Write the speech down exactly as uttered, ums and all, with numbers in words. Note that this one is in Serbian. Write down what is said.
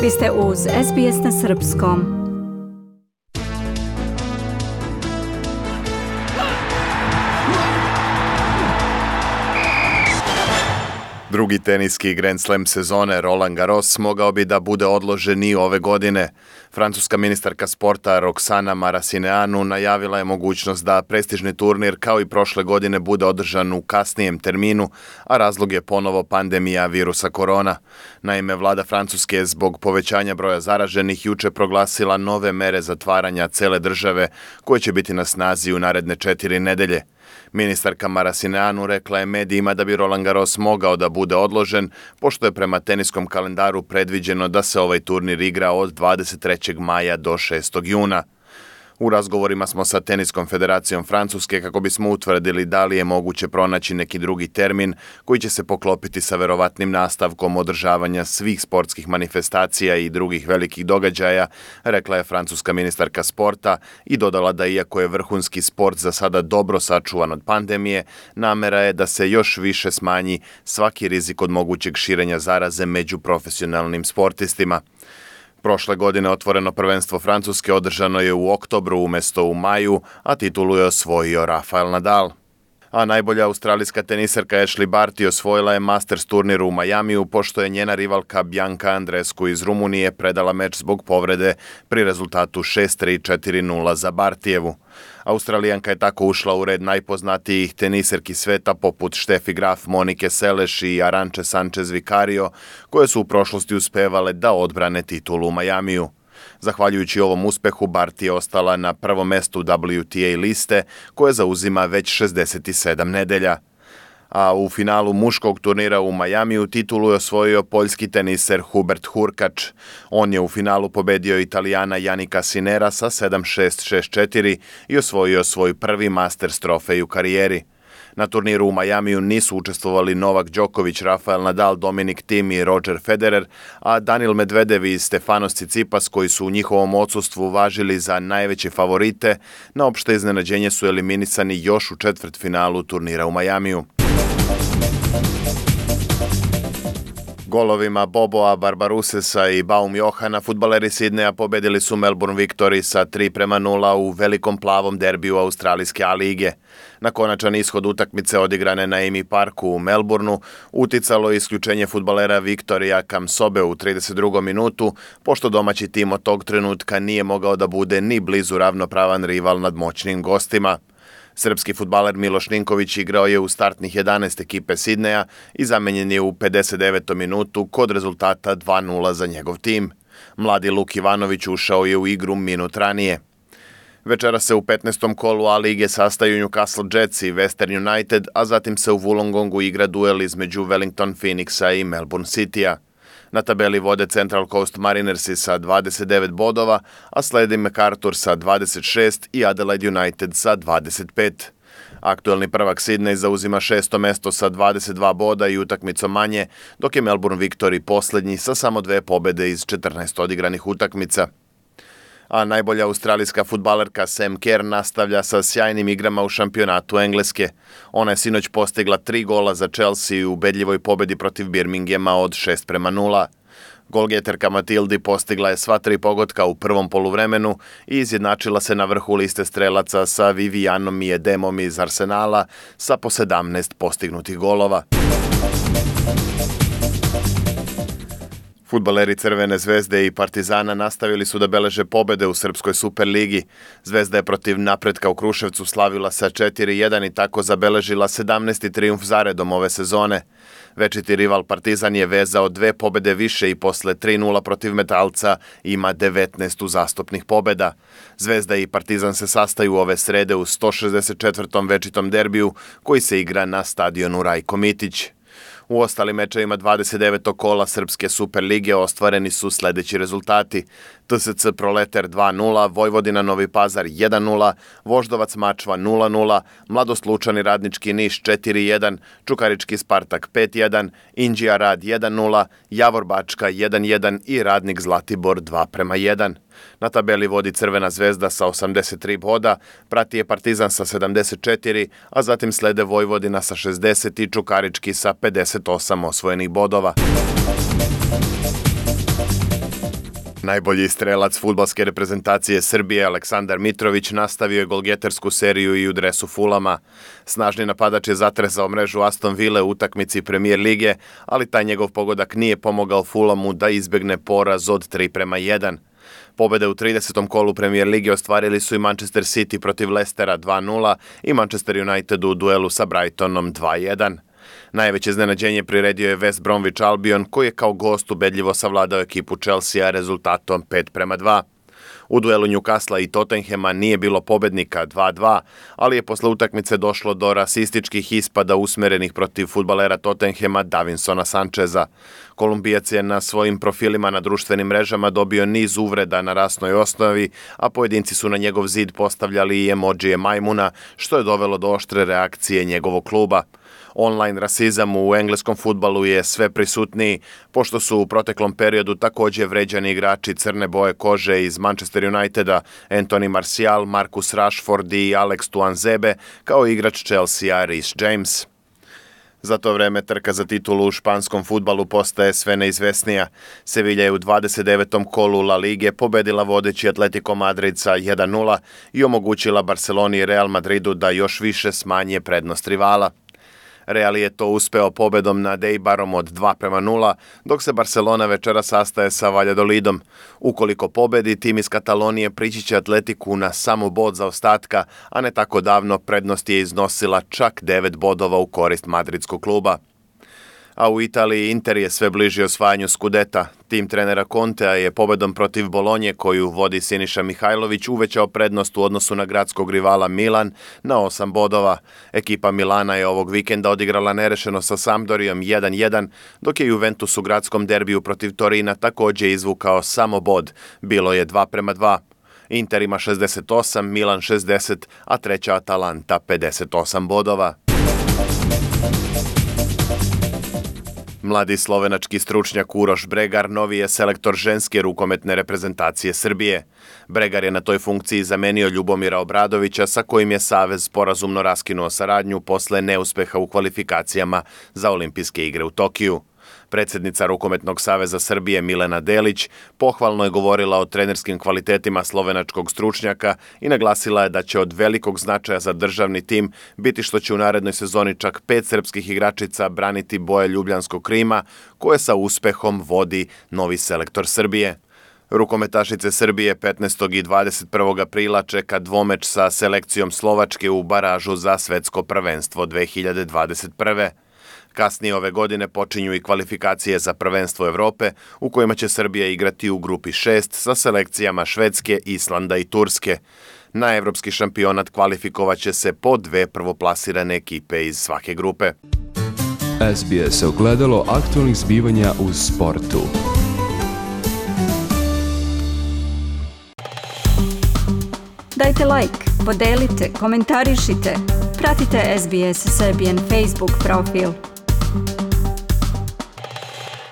Vi ste uz S B S na srpskom. Drugi teniski Grand Slam sezone Roland Garros mogao bi da bude odložen i ove godine. Francuska ministarka sporta Roxana Maracineanu najavila je mogućnost da prestižni turnir kao i prošle godine bude održan u kasnijem terminu, a razlog je ponovo pandemija virusa korona. Naime, vlada Francuske je zbog povećanja broja zaraženih juče proglasila nove mere zatvaranja cele države koje će biti na snazi u naredne četiri nedelje. Ministarka Maracineanu rekla je medijima da bi Roland Garros mogao da bude odložen, pošto je prema teniskom kalendaru predviđeno da se ovaj turnir igra od dvadeset trećeg maja do šestog juna. U razgovorima smo sa Teniskom federacijom Francuske kako bismo utvrdili da li je moguće pronaći neki drugi termin koji će se poklopiti sa verovatnim nastavkom održavanja svih sportskih manifestacija i drugih velikih događaja, rekla je francuska ministarka sporta i dodala da iako je vrhunski sport za sada dobro sačuvan od pandemije, namera je da se još više smanji svaki rizik od mogućeg širenja zaraze među profesionalnim sportistima. Prošle godine otvoreno prvenstvo Francuske održano je u oktobru umesto u maju, a titulu je osvojio Rafael Nadal. A najbolja australijska teniserka Ashleigh Barty osvojila je Masters turnir u Majamiju pošto je njena rivalka Bianca Andreescu iz Rumunije predala meč zbog povrede pri rezultatu šest tri četiri nula za Bartijevu. Australijanka je tako ušla u red najpoznatijih teniserki sveta poput Steffi Graf, Monike Seles i Arantxe Sanchez Vicario, koje su u prošlosti uspevale da odbrane titulu u Majamiju. Zahvaljujući ovom uspehu, Barty je ostala na prvom mestu W T A liste, koje zauzima već šezdeset sedam nedelja. A u finalu muškog turnira u Majamiju titulu je osvojio poljski teniser Hubert Hurkač. On je u finalu pobedio Italijana Jannika Sinera sa sedam šest šest četiri i osvojio svoj prvi Masters trofej u karijeri. Na turniru u Majamiju nisu učestvovali Novak Đoković, Rafael Nadal, Dominik Thiem i Roger Federer, a Danil Medvedev i Stefanos Tsitsipas, koji su u njihovom odsustvu važili za najveće favorite, na opšte iznenađenje su eliminisani još u četvrtfinalu turnira u Majamiju. Golovima Boboa, Barbarusesa i Baum Johana fudbaleri Sidneja pobedili su Melbourne Victory sa tri prema nula u velikom plavom derbiju australijske A lige. Na konačan ishod utakmice odigrane na Amy Parku u Melbourneu uticalo je isključenje fudbalera Viktorija Kamsobe u trideset drugom minutu, pošto domaći tim od tog trenutka nije mogao da bude ni blizu ravnopravan rival nad moćnim gostima. Srpski fudbaler Miloš Ninković igrao je u startnih jedanaest ekipe Sidneja i zamenjen je u pedeset devetom minutu kod rezultata dva nula za njegov tim. Mladi Luk Ivanović ušao je u igru minut ranije. Večera se u petnaestom kolu A lige sastaju Newcastle Jets i Western United, a zatim se u Wollongongu igra duel između Wellington Phoenixa i Melbourne Citya. Na tabeli vode Central Coast Marinersi sa dvadeset devet bodova, a sledi MacArthur sa dvadeset šest i Adelaide United sa dvadeset pet. Aktuelni prvak Sidney zauzima šesto mesto sa dvadeset dva boda i utakmicom manje, dok je Melbourne Victory poslednji sa samo dve pobede iz četrnaest odigranih utakmica. A najbolja australijska fudbalerka Sam Kerr nastavlja sa sjajnim igrama u šampionatu Engleske. Ona je sinoć postigla tri gola za Chelsea u ubedljivoj pobedi protiv Birminghama od šest prema nula. Golgeterka Matildi postigla je sva tri pogotka u prvom poluvremenu i izjednačila se na vrhu liste strelaca sa Vivianom Miedemom iz Arsenala sa po sedamnaest postignutih golova. Fudbaleri Crvene zvezde i Partizana nastavili su da beleže pobede u Srpskoj Superligi. Zvezda je protiv Napretka u Kruševcu slavila sa četiri jedan i tako zabeležila sedamnaesti trijumf zaredom ove sezone. Večiti rival Partizan je vezao dve pobede više i posle tri nula protiv Metalca ima devetnaest uzastopnih pobeda. Zvezda i Partizan se sastaju ove srede u sto šezdeset četvrtom večitom derbiju koji se igra na stadionu Rajko Mitić. U ostalim mečevima dvadeset devetog kola Srpske Superlige ostvareni su sledeći rezultati. T S C Proleter dva nula, Vojvodina Novi Pazar jedan nula, Voždovac Mačva nula nula, Mladost Lučani Radnički Niš četiri jedan, Čukarički Spartak pet jedan, Inđija Rad jedan nula, Javor Bačka jedan jedan i Radnik Zlatibor dva prema jedan. Na tabeli vodi Crvena zvezda sa osamdeset tri boda, prati je Partizan sa sedamdeset četiri, a zatim slede Vojvodina sa šezdeset i Čukarički sa pedeset osam osvojenih bodova. Najbolji strelac fudbalske reprezentacije Srbije Aleksandar Mitrović nastavio je golgetersku seriju i u dresu Fulama. Snažni napadač je zatresao mrežu Aston Ville u utakmici Premier lige, ali taj njegov pogodak nije pomogao Fulamu da izbegne poraz od tri prema jedan. Pobede u tridesetom kolu Premier lige ostvarili su i Manchester City protiv Leicestera dva nula i Manchester United u duelu sa Brightonom dva jedan. Najveće iznenađenje priredio je West Bromwich Albion, koji je kao gost ubedljivo savladao ekipu Chelsea rezultatom pet prema dva. U duelu Newcastle i Tottenhema nije bilo pobednika dva dva, ali je posle utakmice došlo do rasističkih ispada usmerenih protiv fudbalera Tottenhema Davinsona Sancheza. Kolumbijac je na svojim profilima na društvenim mrežama dobio niz uvreda na rasnoj osnovi, a pojedinci su na njegov zid postavljali i emodžije majmuna, što je dovelo do oštre reakcije njegovog kluba. Online rasizam u engleskom fudbalu je sve prisutniji, pošto su u proteklom periodu također vređani igrači crne boje kože iz Manchester Uniteda, Anthony Martial, Marcus Rashford i Alex Tuanzebe, kao igrač Chelsea Reece James. Za to vreme trka za titulu u španskom fudbalu postaje sve neizvesnija. Sevilla je u dvadeset devetom kolu La Lige pobedila vodeći Atletico Madrid sa jedan nula i omogućila Barceloni i Real Madridu da još više smanje prednost rivala. Real je to uspeo pobedom nad Eibarom od dva prema nula, dok se Barcelona večera sastaje sa Valladolidom. Ukoliko pobedi, tim iz Katalonije prići će Atletiku na samo bod zaostatka, a ne tako davno prednost je iznosila čak devet bodova u korist madridskog kluba. A u Italiji Inter je sve bliži osvajanju Skudeta. Tim trenera Contea je pobedom protiv Bolonje, koju vodi Siniša Mihajlović, uvećao prednost u odnosu na gradskog rivala Milan na osam bodova. Ekipa Milana je ovog vikenda odigrala nerešeno sa Sampdorijom jedan jedan, dok je Juventus u gradskom derbiju protiv Torina također izvukao samo bod. Bilo je dva prema dva. Inter ima šezdeset osam, Milan šezdeset, a treća Atalanta pedeset osam bodova. Mladi slovenački stručnjak Uroš Bregar novi je selektor ženske rukometne reprezentacije Srbije. Bregar je na toj funkciji zamenio Ljubomira Obradovića, sa kojim je Savez sporazumno raskinuo saradnju posle neuspeha u kvalifikacijama za olimpijske igre u Tokiju. Predsjednica Rukometnog saveza Srbije Milena Delić pohvalno je govorila o trenerskim kvalitetima slovenačkog stručnjaka i naglasila je da će od velikog značaja za državni tim biti što će u narednoj sezoni čak pet srpskih igračica braniti boje ljubljanskog Krima, koje sa uspehom vodi novi selektor Srbije. Rukometašice Srbije petnaestog i dvadeset prvog aprila čeka dvomeč sa selekcijom Slovačke u baražu za svetsko prvenstvo dve hiljade dvadeset prve. Kasnije ove godine počinju i kvalifikacije za prvenstvo Evrope, u kojima će Srbija igrati u grupi šest sa selekcijama Švedske, Islanda i Turske. Na evropski šampionat kvalifikovaće se po dve prvoplasirane ekipe iz svake grupe. S B S ogledalo aktualnih zbivanja u sportu. Dajte like, podelite, komentarišite. Pratite S B S Serbian Facebook profil.